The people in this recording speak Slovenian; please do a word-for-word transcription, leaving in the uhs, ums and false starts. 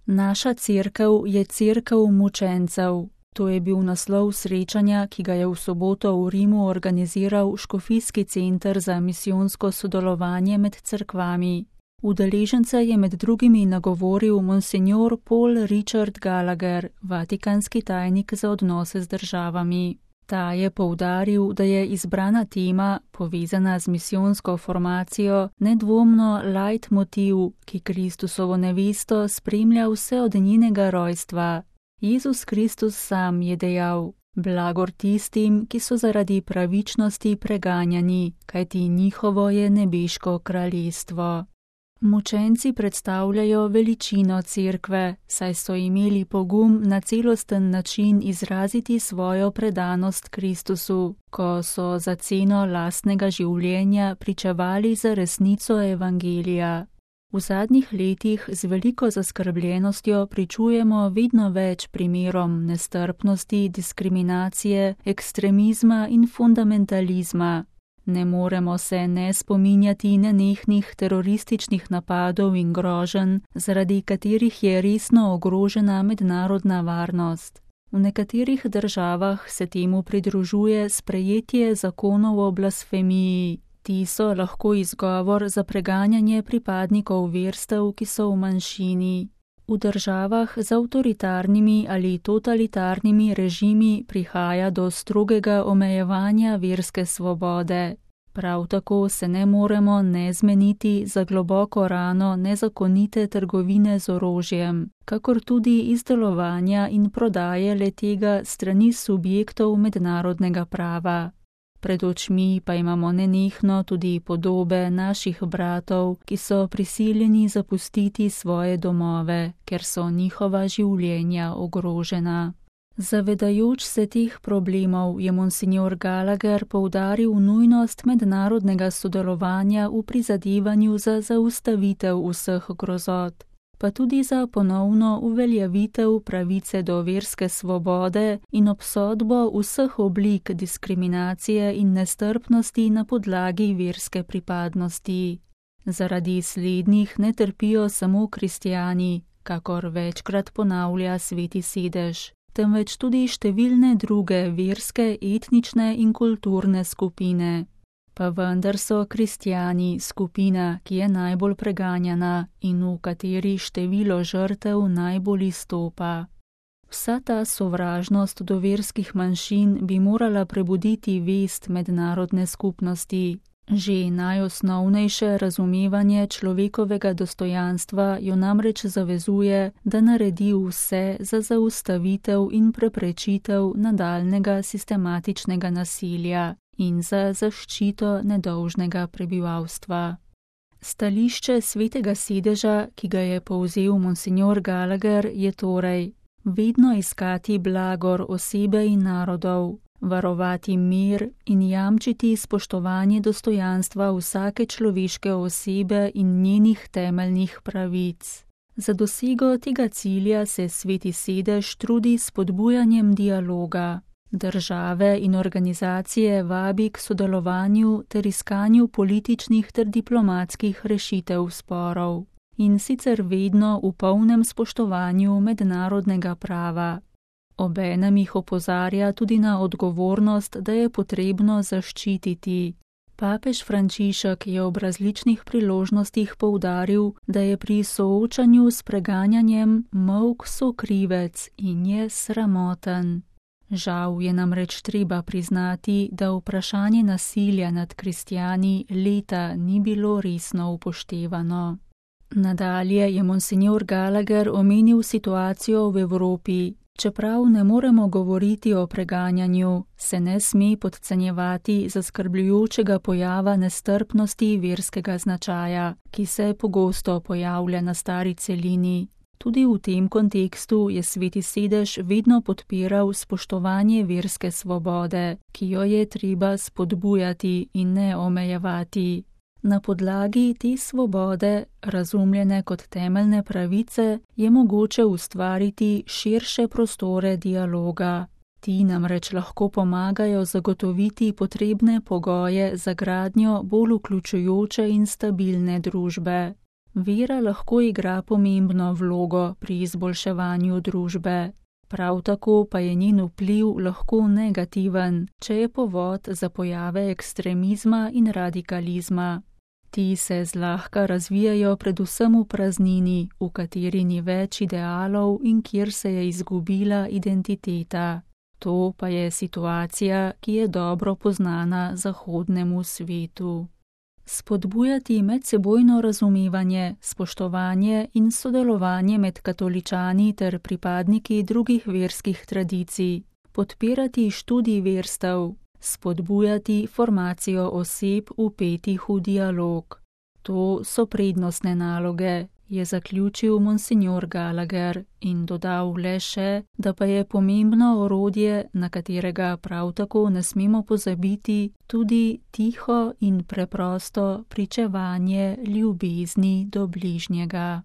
Naša cerkev je cerkev mučencev. To je bil naslov srečanja, ki ga je v soboto v Rimu organiziral Škofijski center za misijonsko sodelovanje med cerkvami. Udeležence je med drugimi nagovoril monsignor Paul Richard Gallagher, vatikanski tajnik za odnose z državami. Ta je poudaril, da je izbrana tema, povezana z misijonsko formacijo, nedvomno leitmotiv, ki Kristusovo nevesto spremlja vse od njenega rojstva. Jezus Kristus sam je dejal: blagor tistim, ki so zaradi pravičnosti preganjani, kajti njihovo je nebeško kraljestvo. Mučenci predstavljajo veličino cerkve, saj so imeli pogum na celosten način izraziti svojo predanost Kristusu, ko so za ceno lastnega življenja pričevali za resnico evangelija. V zadnjih letih z veliko zaskrbljenostjo pričujemo vedno več primerom nestrpnosti, diskriminacije, ekstremizma in fundamentalizma. Ne moremo se ne spominjati nenehnih terorističnih napadov in groženj, zaradi katerih je resno ogrožena mednarodna varnost. V nekaterih državah se temu pridružuje sprejetje zakonov o blasfemiji. Ti so lahko izgovor za preganjanje pripadnikov verstev, ki so v manjšini. V državah z avtoritarnimi ali totalitarnimi režimi prihaja do strogega omejevanja verske svobode. Prav tako se ne moremo ne zmeniti za globoko rano nezakonite trgovine z orožjem, kakor tudi izdelovanja in prodaje le-tega strani subjektov mednarodnega prava. Pred očmi pa imamo nenehno tudi podobe naših bratov, ki so prisiljeni zapustiti svoje domove, ker so njihova življenja ogrožena. Zavedajoč se teh problemov je monsignor Gallagher poudaril nujnost mednarodnega sodelovanja v prizadevanju za zaustavitev vseh grozot, pa tudi za ponovno uveljavitev pravice do verske svobode in obsodbo vseh oblik diskriminacije in nestrpnosti na podlagi verske pripadnosti. Zaradi slednjih ne trpijo samo kristjani, kakor večkrat ponavlja Sveti sedež, temveč tudi številne druge verske, etnične in kulturne skupine. Pa vendar so kristjani skupina, ki je najbolj preganjana in v kateri število žrtev najbolj izstopa. Vsa ta sovražnost do verskih manjšin bi morala prebuditi vest mednarodne skupnosti. Že najosnovnejše razumevanje človekovega dostojanstva jo namreč zavezuje, da naredi vse za zaustavitev in preprečitev nadaljnjega sistematičnega nasilja in za zaščito nedolžnega prebivalstva. Stališče Svetega sedeža, ki ga je povzel monsignor Gallagher, je torej vedno iskati blagor osebe in narodov, varovati mir in jamčiti spoštovanje dostojanstva vsake človeške osebe in njenih temeljnih pravic. Za dosego tega cilja se Sveti sedež trudi s spodbujanjem dialoga. Države in organizacije vabi k sodelovanju ter iskanju političnih ter diplomatskih rešitev sporov, in sicer vedno v polnem spoštovanju mednarodnega prava. Obenem jih opozarja tudi na odgovornost, da je potrebno zaščititi. Papež Frančišek je ob različnih priložnostih poudaril, da je pri soočanju s preganjanjem molk sokrivec in je sramoten. Žal je namreč treba priznati, da vprašanje nasilja nad kristjani leta ni bilo resno upoštevano. Nadalje je monsignor Gallagher omenil situacijo v Evropi. Čeprav ne moremo govoriti o preganjanju, se ne sme podcenjevati zaskrbljujočega pojava nestrpnosti verskega značaja, ki se pogosto pojavlja na stari celini. Tudi v tem kontekstu je Sveti sedež vedno podpiral spoštovanje verske svobode, ki jo je treba spodbujati in ne omejevati. Na podlagi te svobode, razumljene kot temeljne pravice, je mogoče ustvariti širše prostore dialoga. Ti namreč lahko pomagajo zagotoviti potrebne pogoje za gradnjo bolj vključujoče in stabilne družbe. Vera lahko igra pomembno vlogo pri izboljševanju družbe. Prav tako pa je njen vpliv lahko negativen, če je povod za pojave ekstremizma in radikalizma. Ti se zlahka razvijajo predvsem v praznini, v kateri ni več idealov in kjer se je izgubila identiteta. To pa je situacija, ki je dobro poznana zahodnemu svetu. Spodbujati medsebojno razumevanje, spoštovanje in sodelovanje med katoličani ter pripadniki drugih verskih tradicij, podpirati študij verstev, spodbujati formacijo oseb vpetih v dialog. To so prednostne naloge, je zaključil monsignor Gallagher in dodal le še, da pa je pomembno orodje, na katerega prav tako ne smemo pozabiti, tudi tiho in preprosto pričevanje ljubezni do bližnjega.